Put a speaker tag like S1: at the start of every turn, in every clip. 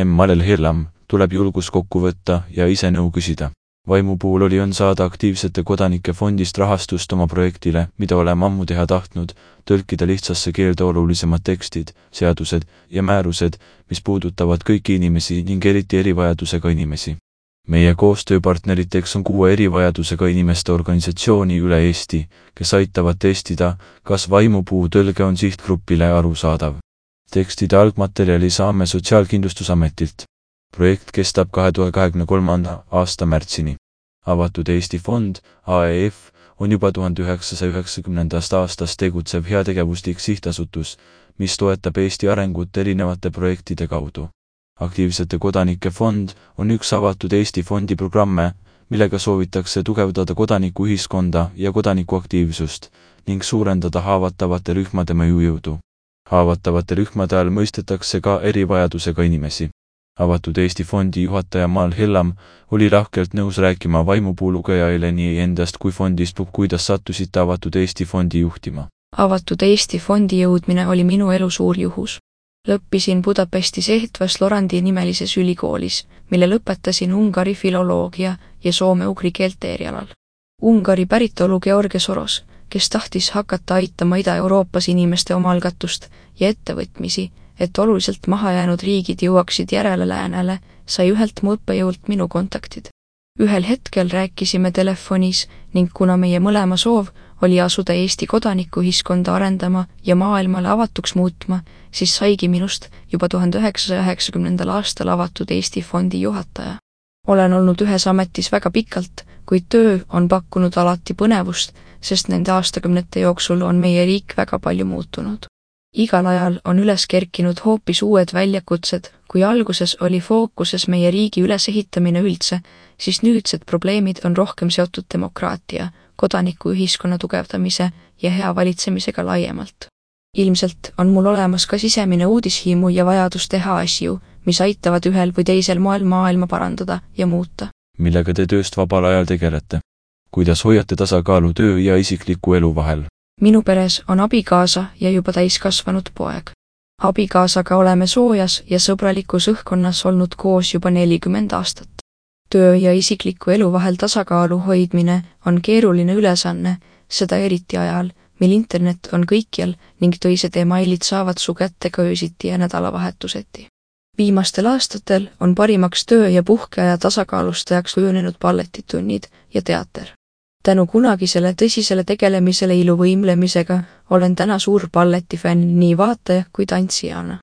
S1: Malel Hirlam tuleb julgus kokku võtta ja ise nõu küsida. Vaimu puhul on saada aktiivsete kodanike fondist rahastust oma projektile, mida oleme ammu teha tahtnud, tõlkida lihtsasse keelde olulisemad tekstid, seadused ja määrused, mis puudutavad kõiki inimesi ning eriti erivajadusega inimesi. Meie koostööpartneriteks on 6 erivajadusega inimeste organisatsiooni üle Eesti, kes aitavad testida, kas vaimupuu tõlge on sihtgrupile arusaadav. Tekstide algmaterjali saame Sotsiaalkindlustusametilt. Projekt kestab 2023. aasta märtsini. Avatud Eesti fond, AEF, on juba 1990. aastast tegutsev heategevuslik sihtasutus, mis toetab Eesti arengut erinevate projektide kaudu. Aktiivsete kodanike fond on üks avatud Eesti fondi programme, millega soovitakse tugevdada kodanikuühiskonda ja kodanikuaktiivsust ning suurendada haavatavate rühmade mõjujõudu. Haavatavate rühmade all mõistetakse ka erivajadusega inimesi. Avatud Eesti fondi juhataja Malel Hirlam oli lahkelt nõus rääkima vaimupuu lugejaile nii endast kui fondist, kuidas sattusite Avatud Eesti fondi juhtima.
S2: Avatud Eesti fondi jõudmine oli minu elu suur juhus. Lõppisin Budapestis Ehtvas Lorandi nimelises ülikoolis, mille lõpetasin ungari filoloogia ja soome-ugri keelte erialal. Ungari päritolu George Soros, kes tahtis hakata aitama Ida-Euroopas inimeste omaalgatust ja ettevõtmisi, et oluliselt mahajäänud riigid jõuaksid järele läänele, sai ühelt mu õppejõult minu kontaktid. Ühel hetkel rääkisime telefonis ning kuna meie mõlema soov oli asuda Eesti kodanikuühiskonda arendama ja maailmale avatuks muutma, siis saigi minust juba 1990. aastal Avatud Eesti fondi juhataja. Olen olnud ühes ametis väga pikalt, kuid töö on pakkunud alati põnevust, sest nende aastakümnete jooksul on meie riik väga palju muutunud. Igal ajal on üles kerkinud hoopis uued väljakutsed, kui alguses oli fookuses meie riigi ülesehitamine üldse, siis nüüdsed probleemid on rohkem seotud demokraatia, kodanikuühiskonna tugevdamise ja hea valitsemisega laiemalt. Ilmselt on mul olemas ka sisemine uudishimu ja vajadus teha asju, mis aitavad ühel või teisel moel maailma parandada ja muuta.
S1: Millega te tööst vabal ajal tegelete? Kuidas hoiate tasakaalu töö ja isikliku elu vahel?
S2: Minu peres on abikaasa ja juba täiskasvanud poeg. Abikaasaga oleme soojas ja sõbralikus õhkkonnas olnud koos juba 40 aastat. Töö ja isikliku elu vahel tasakaalu hoidmine on keeruline ülesanne, seda eriti ajal, mil internet on kõikjal ning töised emailid saavad su kätte ka öösiti ja nädalavahetuseti. Viimastel aastatel on parimaks töö- ja puhkeaja tasakaalustajaks kujunenud balletitunnid ja teater. Tänu kunagisele tõsisele tegelemisele iluvõimlemisega olen täna suur balletifänn nii vaataja kui tantsijana.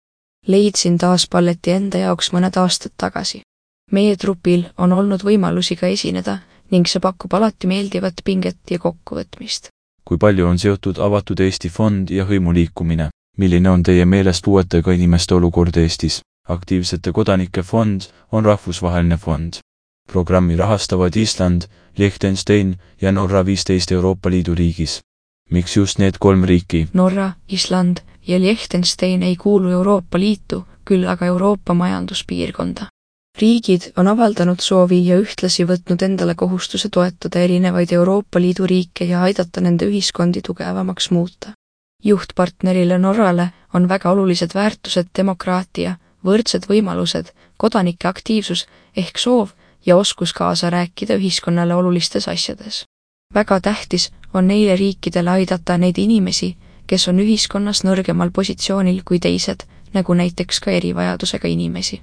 S2: Leidsin taas balleti enda jaoks mõned aastad tagasi. Meie trupil on olnud võimalusi ka esineda ning see pakub alati meeldivat pinget ja kokkuvõtmist.
S1: Kui palju on seotud Avatud Eesti fond ja hõimuliikumine? Milline on teie meelest puuetega inimeste olukord Eestis? Aktiivsete kodanike fond on rahvusvaheline fond. Programmi rahastavad Island, Liechtenstein ja Norra 15 Euroopa Liidu riigis. Miks just need 3 riiki?
S2: Norra, Island ja Liechtenstein ei kuulu Euroopa Liitu, küll aga Euroopa majanduspiirkonda. Riigid on avaldanud soovi ja ühtlasi võtnud endale kohustuse toetada erinevaid Euroopa Liidu riike ja aidata nende ühiskondi tugevamaks muuta. Juhtpartnerile Norrale on väga olulised väärtused demokraatia, võrdsed võimalused, kodanike aktiivsus ehk soov ja oskus kaasa rääkida ühiskonnale olulistes asjades. Väga tähtis on neile riikidele aidata neid inimesi, kes on ühiskonnas nõrgemal positsioonil kui teised, nagu näiteks ka erivajadusega inimesi.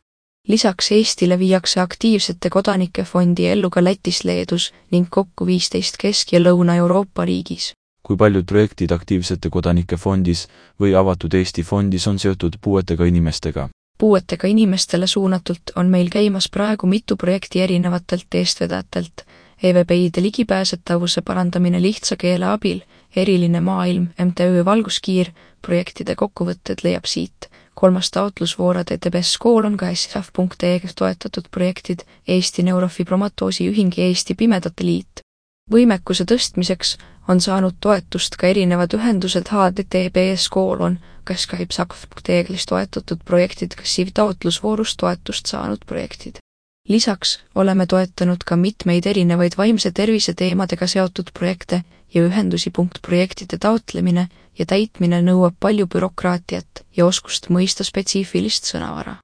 S2: Lisaks Eestile viiakse aktiivsete kodanike fondi ellu ka Lätis, Leedus ning kokku 15 Kesk- ja Lõuna-Euroopa riigis.
S1: Kui paljud projektid aktiivsete kodanike fondis või Avatud Eesti fondis on seotud puuetega inimestega?
S2: Puuetega inimestele suunatult on meil käimas praegu mitu projekti erinevatelt eestvedajatelt, EVPide ligipääsetavuse parandamine lihtsa keele abil, Eriline maailm, MTÜ Valguskiir, projektide kokkuvõtted leiab siit. 3. taotlusvoor ETBS kool on ka SF.EG toetatud projektid, Eesti Neurofibromatosi ühing ja Eesti Pimedate Liit. Võimekuse tõstmiseks on saanud toetust ka erinevad ühendused HDTBS koolon, kas ka IPSAK.EG-lis toetatud projektid, kas SIV taotlusvoorus toetust saanud projektid. Lisaks oleme toetanud ka mitmeid erinevaid vaimse tervise teemadega seotud projekte ja ühendusi. Projektide taotlemine ja täitmine nõuab palju bürokraatiat ja oskust mõista spetsiifilist sõnavara.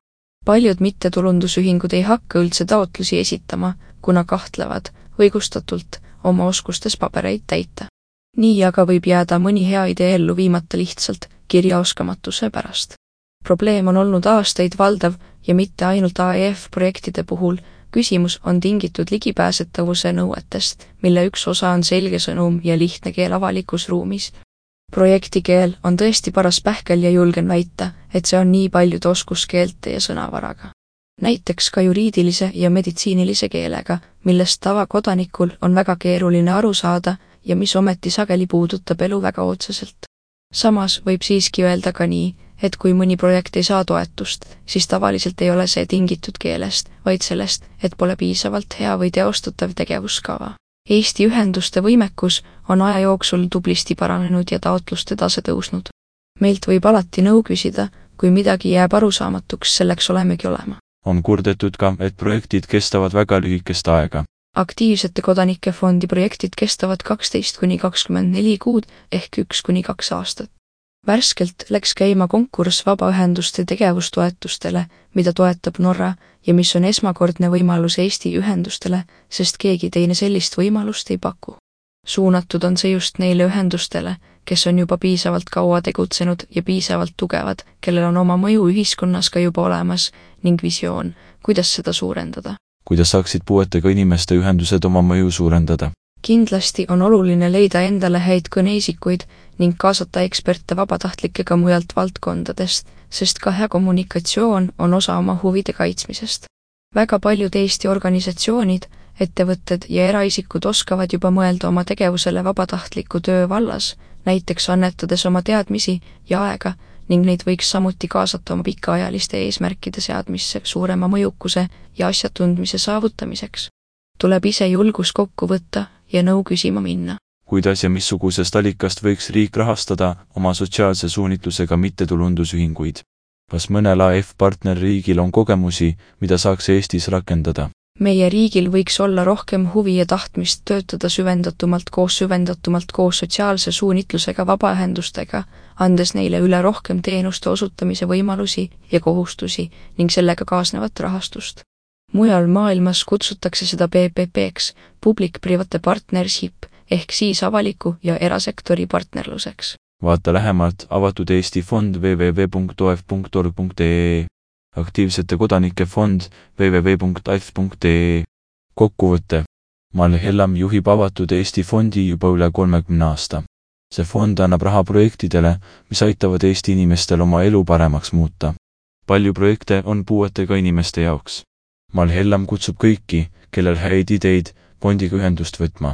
S2: Paljud mittetulundusühingud ei hakka üldse taotlusi esitama, kuna kahtlevad, õigustatult, oma oskustes pabereid täita. Nii aga võib jääda mõni hea idee ellu viimata lihtsalt kirjaoskamatuse pärast. Probleem on olnud aastaid valdav ja mitte ainult AEF projektide puhul, küsimus on tingitud ligipääsetavuse nõuetest, mille üks osa on selge sõnum ja lihtne keel avalikus ruumis. Projektikeel on tõesti paras pähkel ja julgen väita, et see on nii paljude oskuskeelte ja sõnavaraga. Näiteks ka juriidilise ja meditsiinilise keelega, millest tavakodanikul on väga keeruline aru saada ja mis ometi sageli puudutab elu väga otseselt. Samas võib siiski öelda ka nii, et kui mõni projekt ei saa toetust, siis tavaliselt ei ole see tingitud keelest, vaid sellest, et pole piisavalt hea või teostatav tegevuskava. Eesti ühenduste võimekus on aja jooksul tublisti paranenud ja taotluste tase tõusnud. Meilt võib alati nõu küsida, kui midagi jääb arusaamatuks, selleks olemegi olema.
S1: On kurdetud ka, et projektid kestavad väga lühikest aega.
S2: Aktiivsete kodanike fondi projektid kestavad 12–24 kuud ehk 1–2 aastat. Värskelt läks käima konkurss vabaühenduste tegevustoetustele, mida toetab Norra ja mis on esmakordne võimalus Eesti ühendustele, sest keegi teine sellist võimalust ei paku. Suunatud on see just neile ühendustele, kes on juba piisavalt kaua tegutsenud ja piisavalt tugevad, kellel on oma mõju ühiskonnas ka juba olemas ning visioon, kuidas seda suurendada.
S1: Kuidas saaksid puuetega inimeste ühendused oma mõju suurendada?
S2: Kindlasti on oluline leida endale häid kõneisikuid ning kaasata eksperte vabatahtlikega mujalt valdkondadest, sest ka hea kommunikatsioon on osa oma huvide kaitsmisest. Väga paljud Eesti organisatsioonid, ettevõtted ja eraisikud oskavad juba mõelda oma tegevusele vabatahtliku töö vallas, näiteks annetades oma teadmisi ja aega, ning neid võiks samuti kaasata oma pikaajaliste eesmärkide seadmisse suurema mõjukuse ja asjatundmise saavutamiseks. Tuleb ise julgus kokku võtta ja nõu küsima minna.
S1: Kuidas ja missugusest allikast võiks riik rahastada oma sotsiaalse suunitlusega mittetulundusühinguid? Kas mõnel AF-partnerriigil on kogemusi, mida saaks Eestis rakendada?
S2: Meie riigil võiks olla rohkem huvi ja tahtmist töötada süvendatumalt koos sotsiaalse suunitlusega vabaühendustega, andes neile üle rohkem teenuste osutamise võimalusi ja kohustusi ning sellega kaasnevat rahastust. Mujal maailmas kutsutakse seda PPP-ks, Public-Private Partnership, ehk siis avaliku ja erasektori partnerluseks.
S1: Vaata lähemalt avatud Eesti fond www.oef.org.ee, aktiivsete kodanike fond www.af.ee. Kokkuvõte. Mal Hellam juhib avatud Eesti fondi juba üle 30 aasta. See fond annab raha projektidele, mis aitavad Eesti inimestel oma elu paremaks muuta. Palju projekte on puuetega inimeste jaoks. Mal Hellam kutsub kõiki, kellel häid ideid, fondiga ühendust võtma.